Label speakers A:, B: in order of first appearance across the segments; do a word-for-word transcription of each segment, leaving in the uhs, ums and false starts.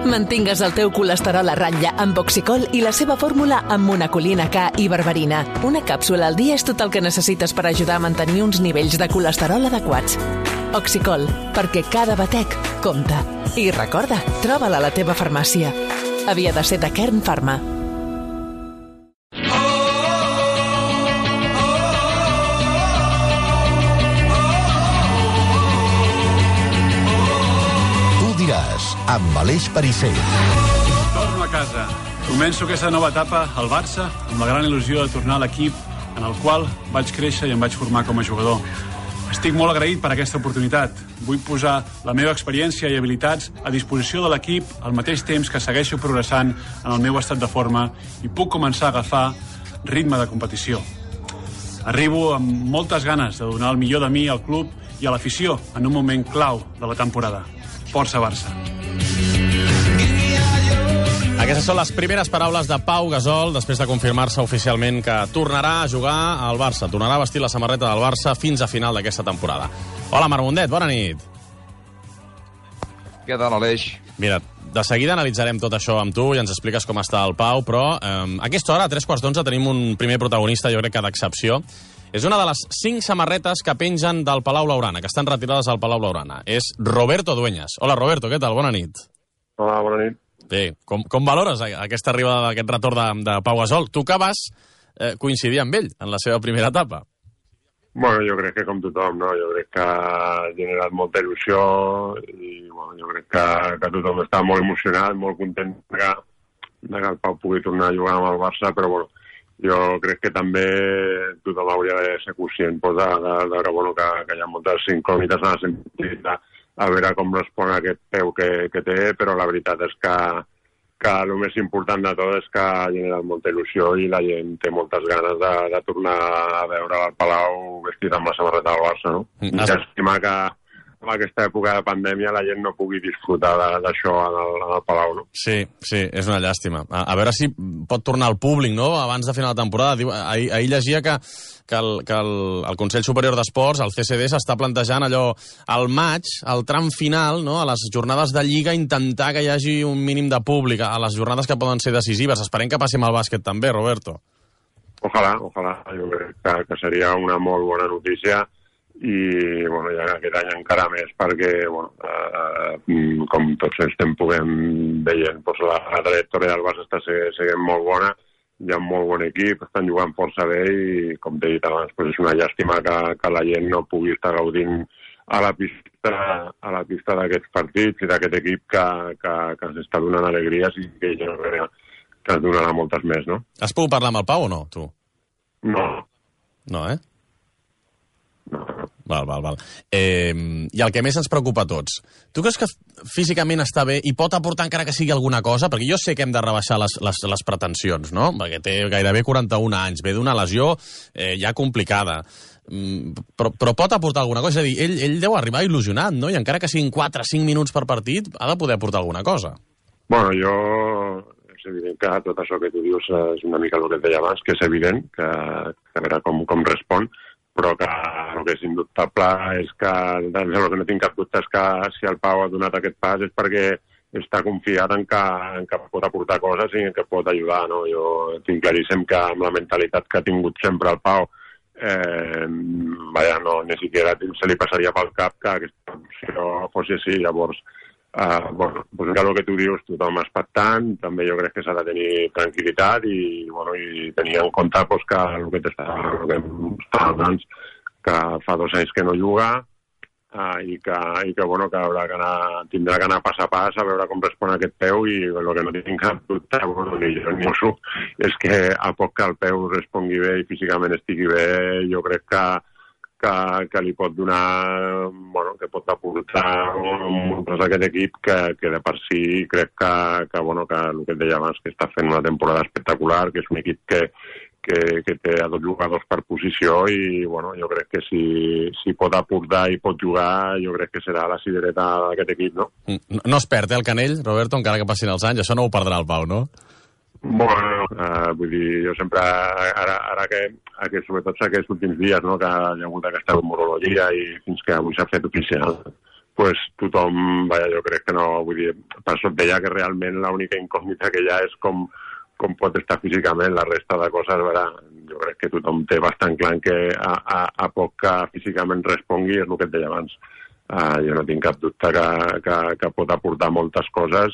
A: Mantingues el teu colesterol a ratlla amb Oxicol i la seva fórmula amb monacolina K i berberina. Una càpsula al dia és tot el que necessites per ajudar a mantenir uns nivells de colesterol adequats. Oxicol, perquè cada batec compta. I recorda, troba-la a la teva farmàcia. Havia de ser de Kern Pharma.
B: Amb Aleix Perisser.
C: Torno a casa. Començo aquesta nova etapa al Barça amb la gran il·lusió de tornar a l'equip en el qual vaig créixer i em vaig formar com a jugador. Estic molt agraït per aquesta oportunitat. Vull posar la meva experiència i habilitats a disposició de l'equip al mateix temps que segueixo progressant en el meu estat de forma i puc començar a agafar ritme de competició. Arribo amb moltes ganes de donar el millor de mi al club i a l'afició en un moment clau de la temporada. Força Barça.
D: Aquestes són les primeres paraules de Pau Gasol després de confirmar-se oficialment que tornarà a jugar al Barça. Tornarà a vestir la samarreta del Barça fins a final d'aquesta temporada. Hola, Marc Mundet, bona nit.
E: Què tal, Aleix?
D: Mira, de seguida analitzarem tot això amb tu i ens expliques com està el Pau, però eh, a aquesta hora, a tres quarts d'onze, tenim un primer protagonista, jo crec que d'excepció. És una de les cinc samarretes que pengen del Palau Blaugrana, que estan retirades al Palau Blaugrana. És Roberto Dueñas. Hola, Roberto, què tal? Bona nit.
F: Hola, bona nit.
D: Bé, com, com valores aquesta arribada d'aquest retorn de, de Pau Gasol? Tu que vas eh, coincidir amb ell en la seva primera etapa.
F: Bueno, jo crec que com tothom, no? Jo crec que ha generat molta il·lusió i bueno, jo crec que, que tothom està molt emocionat, molt content que, que el Pau pugui tornar a jugar amb el Barça, però bueno, jo crec que també tothom hauria de ser conscient pues, de, de, de, de bueno, que, que hi ha moltes incògnites en el sentit de a veure com respon aquest peu que, que té, però la veritat és que, que el més important de tot és que ha generat molta il·lusió i la gent té moltes ganes de, de tornar a veure el Palau vestit amb la samarreta del Barça, no? Mm. I estima que en aquesta època de pandèmia la gent no pugui disfrutar d'això en, en el Palau, no?
D: Sí, sí, és una llàstima. A, a veure si pot tornar al públic, no?, abans de final de temporada. Diu, ahir, ahir llegia que, que, el, que el, el Consell Superior d'Esports, el C C D, s'està plantejant allò al maig, al tram final, no?, a les jornades de Lliga, intentar que hi hagi un mínim de públic a les jornades que poden ser decisives. Esperem que passi amb el bàsquet també, Roberto.
F: Ojalà, ojalà. Jo crec que, que seria una molt bona notícia i bueno, ja aquest any encara més perquè bueno, eh, com tots estem puguem veient doncs la, la trajectòria del Barça està seguint molt bona, hi ha un molt bon equip, estan jugant força bé i com t'he dit abans, doncs és una llàstima que, que la gent no pugui estar gaudint a la pista a la pista d'aquests partits i d'aquest equip que, que, que ens està donant alegries i que jo crec que ens donarà moltes més, no?
D: Has pogut parlar amb el Pau o no, tu?
F: No.
D: No, eh?
F: No, no.
D: Val, val, val. Eh, I el que més ens preocupa a tots, tu creus que físicament està bé i pot aportar encara que sigui alguna cosa? Perquè jo sé que hem de rebaixar les, les, les pretensions, no? Perquè té gairebé quaranta-un anys, ve d'una lesió eh, ja complicada. Mm, però, però pot aportar alguna cosa? És a dir, ell, ell deu arribar il·lusionat, no? I encara que siguin quatre o cinc minuts per partit, ha de poder aportar alguna cosa.
F: Bueno, jo... és evident que tot això que tu dius és una mica el que et deia abans, que és evident, que, que a veure com, com respon, però que el que és indubtable és que el que no tinc cap dubte és que si el Pau ha donat aquest pas és perquè està confiat en que, en que pot aportar coses i en que pot ajudar, no? Jo tinc claríssim que amb la mentalitat que ha tingut sempre el Pau eh, vaja, no, ni siquiera se li passaria pel cap que aquesta opció fos així, llavors Uh, bueno, pues el que tu dius, tothom expectant, també jo crec que s'ha de tenir tranquil·litat i, bueno, i tenir en compte pues, que el que t'estava abans, que fa dos anys que no juga uh, i que, i que, bueno, que, haurà que anar, tindrà que anar pas a pas a veure com respon aquest peu i el que no tinc cap dubte, bueno, ni jo ni mosso, és que a poc que el peu respongui bé i físicament estigui bé, jo crec que Que, que li pot donar, bueno, que pot aportar moltes d'aquest equip que, que de per si crec que, que, bueno, que el que et deia abans, que està fent una temporada espectacular, que és un equip que, que, que té a dos jugadors per posició i, bueno, jo crec que si, si pot aportar i pot jugar, jo crec que serà la cidereta d'aquest equip, no?
D: No, no es perd, eh, el Canell, Roberto, encara que passin els anys, això no ho perdrà el Pau, no?
F: Bueno, uh, vull dir, jo sempre, ara, ara que, que sobretot aquests últims dies, no, que hi ha hagut aquesta morologia i fins que avui s'ha fet oficial, pues, tothom, vaja, jo crec que no, vull dir, per això et deia que realment l'única incògnita que hi ha és com, com pot estar físicament, la resta de coses, veure, jo crec que tothom té bastant clar que a, a, a poc que físicament respongui, és el que et deia abans. Uh, jo no tinc cap dubte que, que, que pot aportar moltes coses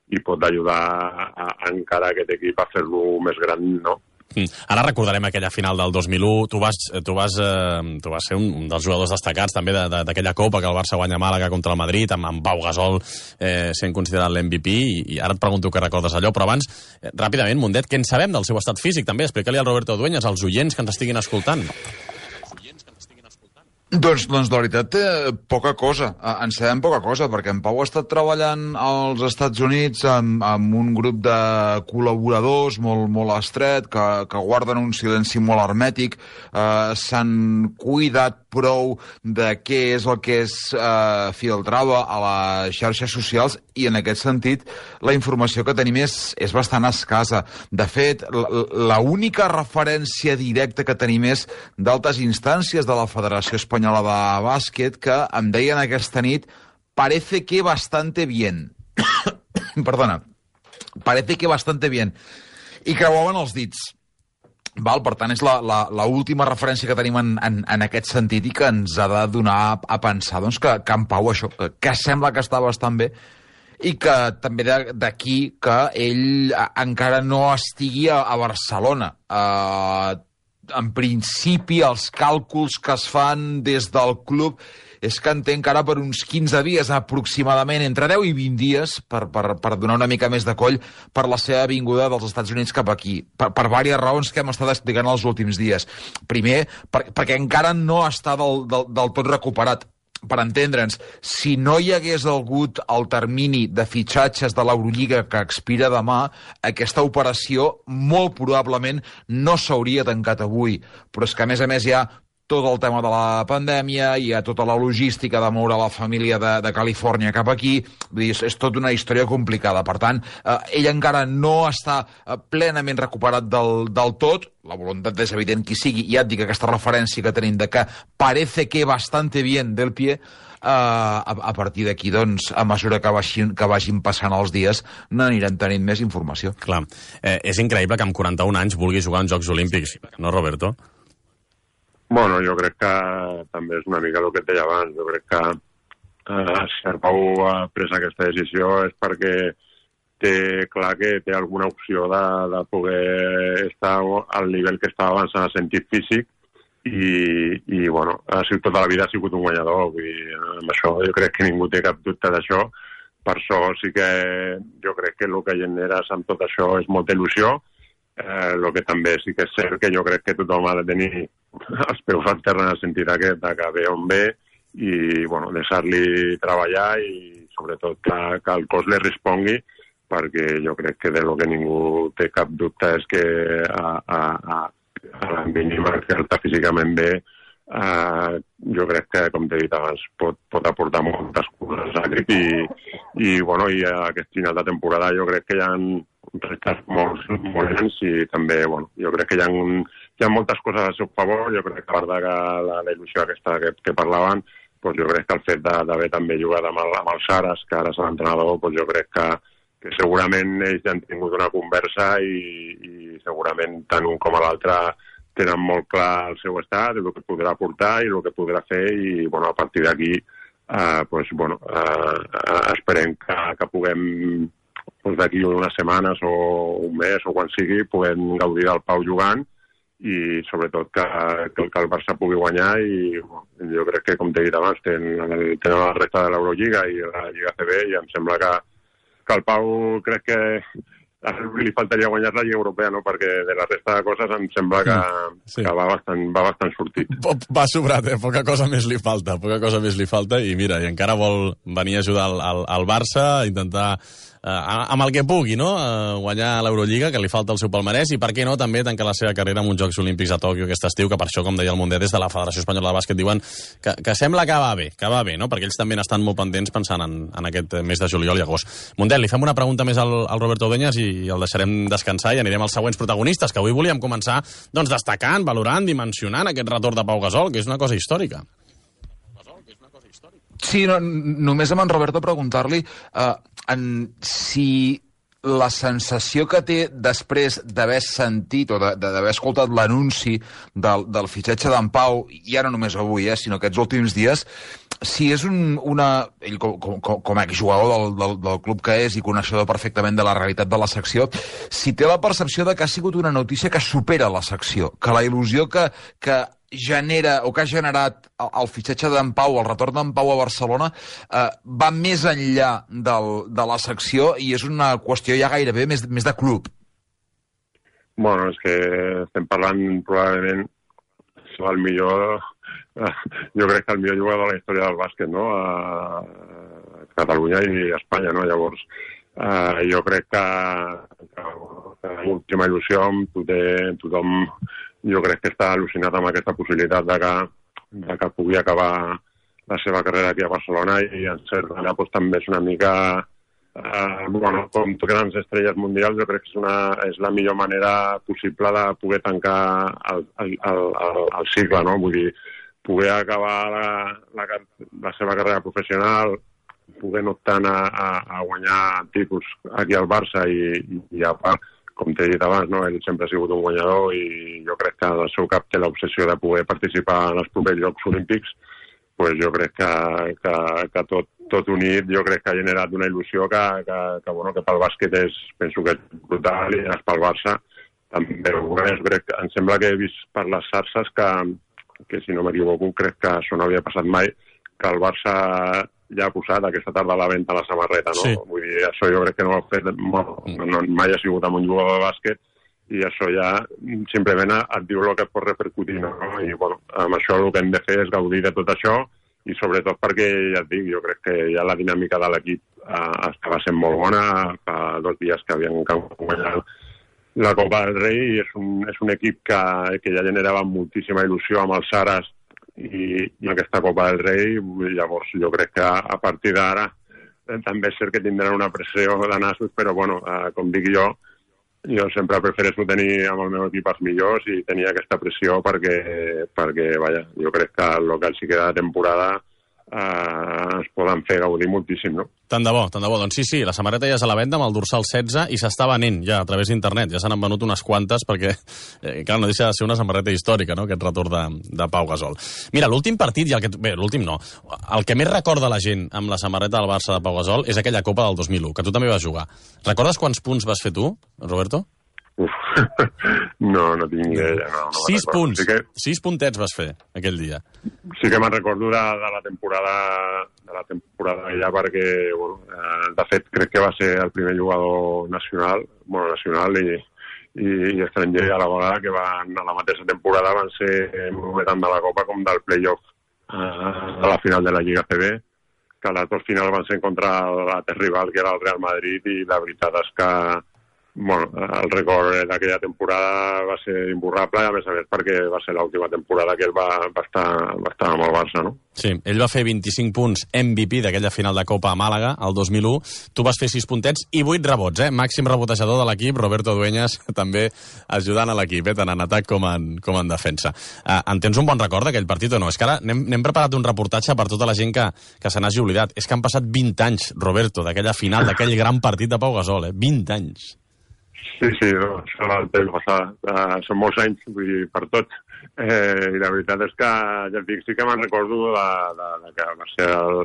F: i pot ajudar a, a, encara aquest equip a fer-lo més gran, no?
D: Mm. Ara recordarem aquella final del dos mil u. Tu vas, tu vas, eh, tu vas ser un, un dels jugadors destacats també d'aquella de, de, Copa que el Barça guanya a Màlaga contra el Madrid, amb, amb Pau Gasol eh, sent considerat l'M V P, i, i ara et pregunto què recordes allò, però abans, eh, ràpidament, Mundet, què en sabem del seu estat físic també? Explica-li al Roberto Dueñas, als oients que ens estiguin escoltant.
E: Doncs, doncs la veritat, eh, poca cosa. Eh, en sabem poca cosa, perquè en Pau ha estat treballant als Estats Units amb, amb un grup de col·laboradors molt, molt estret, que, que guarden un silenci molt hermètic, eh, s'han cuidat prou de què és el que es eh, filtrava a les xarxes socials, i en aquest sentit la informació que tenim és, és bastant escassa. De fet, l'única referència directa que tenim és d'altes instàncies de la Federació Espanyola de Bàsquet, que em deien aquesta nit: parece que bastante bien. Perdona. Parece que bastante bien. I creuaven els dits. Val? Per tant, és l'última referència que tenim en, en, en aquest sentit, i que ens ha de donar a, a pensar doncs, que, que en Pau això, que, que sembla que està bastant bé, i que també d'aquí que ell encara no estigui a, a Barcelona. Uh, en principi, els càlculs que es fan des del club és que en té encara per uns quinze dies, aproximadament, entre deu i vint dies, per, per, per donar una mica més de coll per la seva vinguda dels Estats Units cap aquí, per, per diverses raons que hem estat explicant els últims dies. Primer, per, perquè encara no està del, del, del tot recuperat. Per entendre'ns, si no hi hagués hagut el termini de fitxatges de l'Eurolliga que expira demà, aquesta operació molt probablement no s'hauria tancat avui. Però és que, a més a més, hi ha tot el tema de la pandèmia, hi ha tota la logística de moure la família de, de Califòrnia cap aquí, vull dir, és, és tota una història complicada. Per tant, eh, ell encara no està eh, plenament recuperat del, del tot. La voluntat és evident qui sigui, i ja et dic, aquesta referència que tenim de que parece que bastante bien del pie, eh, a, a partir d'aquí, doncs, a mesura que vagin, que vagin passant els dies, n'anirem tenint més informació.
D: Clar, eh, és increïble que amb quaranta-un anys vulgui jugar en Jocs Olímpics, no, Roberto?
F: Bueno, jo crec que també és una mica el que et deia abans. Jo crec que eh, si el Pau ha pres aquesta decisió és perquè té clar que té alguna opció de, de poder estar al nivell que estava abans en el sentit físic, i, i bueno, ha sigut, tota la vida ha sigut un guanyador. Vull dir, amb això jo crec que ningú té cap dubte d'això. Per això sí que jo crec que el que generes amb tot això és molta il·lusió. El eh, que també sí que és cert que jo crec que tothom ha de tenir els peus al terra en el sentit aquest, que ve on ve, i bueno, deixar-li treballar, i sobretot que, que el cos li respongui, perquè jo crec que de lo que ningú té cap dubte és que a, a, a, a la mínima que està físicament bé, eh, jo crec que, com t'he dit abans, pot, pot aportar moltes coses a l'equip, i, i, bueno, i a aquest final de temporada jo crec que hi ha reptes molt, molt grans, i també, bueno, jo crec que hi ha, un, hi ha moltes coses al seu favor. Jo crec que a part de la, la il·lusió aquesta que, que parlaven, doncs jo crec que el fet d'haver també jugat amb el, amb el Saras, que ara és l'entrenador, doncs jo crec que, que segurament ells ja han tingut una conversa, i, i segurament tant un com l'altre tenen molt clar el seu estat, el que podrà aportar i el que podrà fer, i bueno, a partir d'aquí eh, doncs, bueno, eh, esperem que, que puguem, doncs d'aquí unes setmanes o un mes o quan sigui, puguem gaudir del Pau jugant, i sobretot que, que, que el Barça pugui guanyar. I bueno, jo crec que, com t'he dit abans, tenen, tenen la resta de l'Eurolliga i la Lliga C B, i em sembla que, que el Pau, crec que li faltaria guanyar la Lliga Europea, no? Perquè de la resta de coses em sembla que, sí. que va, bastant, va bastant sortit.
D: Va sobrat, eh? Poca cosa més li falta, poca cosa més li falta, i mira, i encara vol venir a ajudar al, al, al Barça, intentar eh, amb el que pugui, no? Eh, guanyar l'Eurolliga, que li falta el seu palmarès, i per què no també tancar la seva carrera amb uns Jocs Olímpics a Tòquio aquest estiu, que per això, com deia el Mundet, des de la Federació Espanyola de Bàsquet diuen que, que sembla que va bé, que va bé, no? Perquè ells també n'estan molt pendents pensant en, en aquest mes de juliol i agost. Mundet, li fem una pregunta més al, al Roberto Dueñas i i el deixarem descansar, i anirem als següents protagonistes, que avui volíem començar doncs, destacant, valorant, dimensionant aquest retorn de Pau Gasol, que és una cosa històrica.
E: Sí, no, només amb en Roberto preguntar-li uh, en, si la sensació que té després d'haver sentit o d'haver escoltat l'anunci del, del fitxatge d'en Pau, ja no només avui, eh, sinó aquests últims dies, si és un, una... Ell, com, com, com a exjugador del, del, del club que és i coneixedor perfectament de la realitat de la secció, si té la percepció de que ha sigut una notícia que supera la secció, que la il·lusió que, que genera o que ha generat el, el fitxatge d'en Pau, el retorn d'en Pau a Barcelona, eh, va més enllà del, de la secció i és una qüestió ja gairebé més, més de club.
F: Bueno, és que estem parlant probablement del millor, eh, jo crec que el millor jugador de la història del bàsquet, no? A Catalunya i a Espanya, no? Llavors, eh, jo crec que, que, que l'última il·lusió tothom, tothom jo crec que està al·lucinat amb aquesta possibilitat de que, de que pugui acabar la seva carrera aquí a Barcelona i en cert manera doncs, també és una mica eh, bueno, com grans estrelles mundials, jo crec que és, una, és la millor manera possible de poder tancar el, el, el, el, el cicle, no? Vull dir, poder acabar la, la, la seva carrera professional, poder no optant a, a, a guanyar títols aquí al Barça i, i a part, com t'he dit abans, no? Ell sempre ha sigut un guanyador i jo crec que el seu cap té l'obsessió de poder participar en els propers Jocs Olímpics, pues jo crec que, que, que tot, tot unit jo crec que ha generat una il·lusió que, que, que, bueno, que pel bàsquet és, penso que és brutal i pel Barça també ho és. Crec, em sembla que he vist per les xarxes que, que si no m'equivoco, crec que això no havia passat mai, que el Barça ja ha posat aquesta tarda a la venda la samarreta, no? Sí. Vull dir, això jo crec que no ho ha fet, no, no, mai ha sigut amb un jugador de bàsquet i això ja simplement et diu el que pot repercutir, no? I bueno, amb això el que hem de fer és gaudir de tot això i sobretot perquè, ja et dic, jo crec que ja la dinàmica de l'equip eh, estava sent molt bona, fa dos dies que havien guanyat la Copa del Rei i és un, és un equip que, que ja generava moltíssima il·lusió amb els Saras i, i aquesta Copa del Rei, llavors jo crec que a partir d'ara eh, també és cert que tindran una pressió de nassos, però bueno, eh, com dic jo, jo sempre prefereixo tenir amb el meu equip els millors i tenir aquesta pressió perquè, perquè vaja, jo crec que el que els hi queda de temporada eh, ens poden fer gaudir moltíssim, no?
D: Tant de bo, tant de bo. Doncs sí, sí, la samarreta ja és a la venda amb el dorsal setze i s'està venent ja a través d'internet. Ja se n'han venut unes quantes perquè, eh, clar, no deixa de ser una samarreta històrica, no?, aquest retorn de, de Pau Gasol. Mira, l'últim partit, i el que, bé, l'últim no, el que més recorda la gent amb la samarreta del Barça de Pau Gasol és aquella Copa del dos mil u, que tu també vas jugar. Recordes quants punts vas fer tu, Roberto?
F: Uf, no, no tinc idea. No, no
D: sis punts,
F: sí que...
D: sis puntets vas fer aquell dia.
F: Sí que me'n recordo de, de la temporada de la temporada ja perquè, bueno, eh, de fet, crec que va ser el primer jugador nacional, bueno, nacional i, i, i estranger a la vegada que van, a la mateixa temporada van ser tant de la Copa com del play-off eh, a la final de la Lliga C B, que les dues finals van ser contra l'altre rival, que era el Real Madrid, i la veritat és que bueno, el record d'aquella temporada va ser imborrable, a més a més perquè va ser l'última temporada que ell va, va, estar, va estar amb el Barça, no?
D: Sí, ell va fer vint-i-cinc punts M V P d'aquella final de Copa a Màlaga, el dos mil u. Tu vas fer sis puntets i vuit rebots, eh? Màxim rebotejador de l'equip, Roberto Dueñas, també ajudant a l'equip, eh? Tant en atac com en, com en defensa. Uh, en tens un bon record d'aquell partit o no? És que ara n'hem preparat un reportatge per tota la gent que, que se n'hagi oblidat. És que han passat vint anys, Roberto, d'aquella final, d'aquell gran partit de Pau Gasol, eh? vint anys.
F: Sí, sí, no, això el temps passat. Uh, són molts anys, vull dir, per tot. Eh, I la veritat és que, ja et dic, sí que me'n recordo de, de, de que va ser el,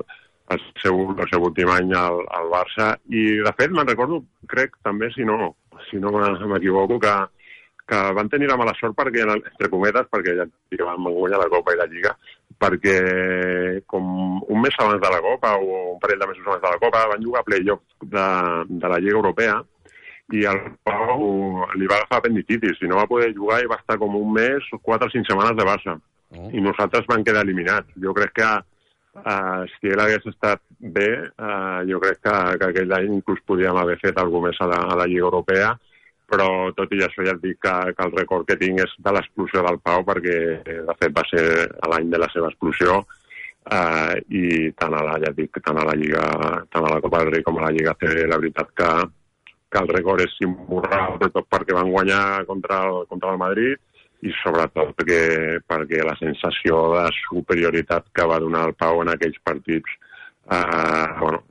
F: el, seu, el seu últim any al, al Barça. I, de fet, me'n recordo, crec, també, si no, si no m'equivoco, que, que van tenir la mala sort perquè, entre cometes, perquè ja dic, van guanyar la Copa i la Lliga, perquè com un mes abans de la Copa o un parell de mesos abans de la Copa van jugar a play-off de, de la Lliga Europea i el Pau li va agafar apendicitis i no va poder jugar i va estar com un mes o quatre o cinc setmanes de baixa. Oh. I nosaltres vam quedar eliminats. Jo crec que uh, si ell hagués estat bé, uh, jo crec que, que aquell any inclús podíem haver fet alguna més a la, a la Lliga Europea, però tot i això ja et dic que, que el record que tinc és de l'explosió del Pau, perquè de fet va ser l'any de la seva explosió, uh, i tant a la, ja et dic, tant a la Lliga, tant a la Copa del Rei com a la Lliga C, la veritat que que el record és imborrable, tot perquè van guanyar contra el, contra el Madrid i sobretot perquè, perquè la sensació de superioritat que va donar el Pau en aquells partits Uh, bueno,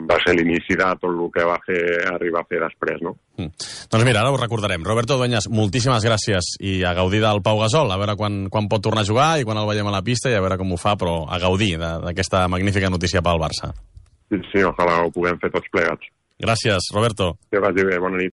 F: va ser l'inici de tot el que va fer arribar a fer després, no?
D: Mm. Doncs mira, ara ho recordarem. Roberto Dueñas, moltíssimes gràcies i a gaudir del Pau Gasol, a veure quan, quan pot tornar a jugar i quan el veiem a la pista i a veure com ho fa, però a gaudir d'aquesta magnífica notícia pel Barça.
F: Sí, sí, ojalà ho puguem fer tots plegats.
D: Gràcies, Roberto.
F: Que vagi bé, bona nit.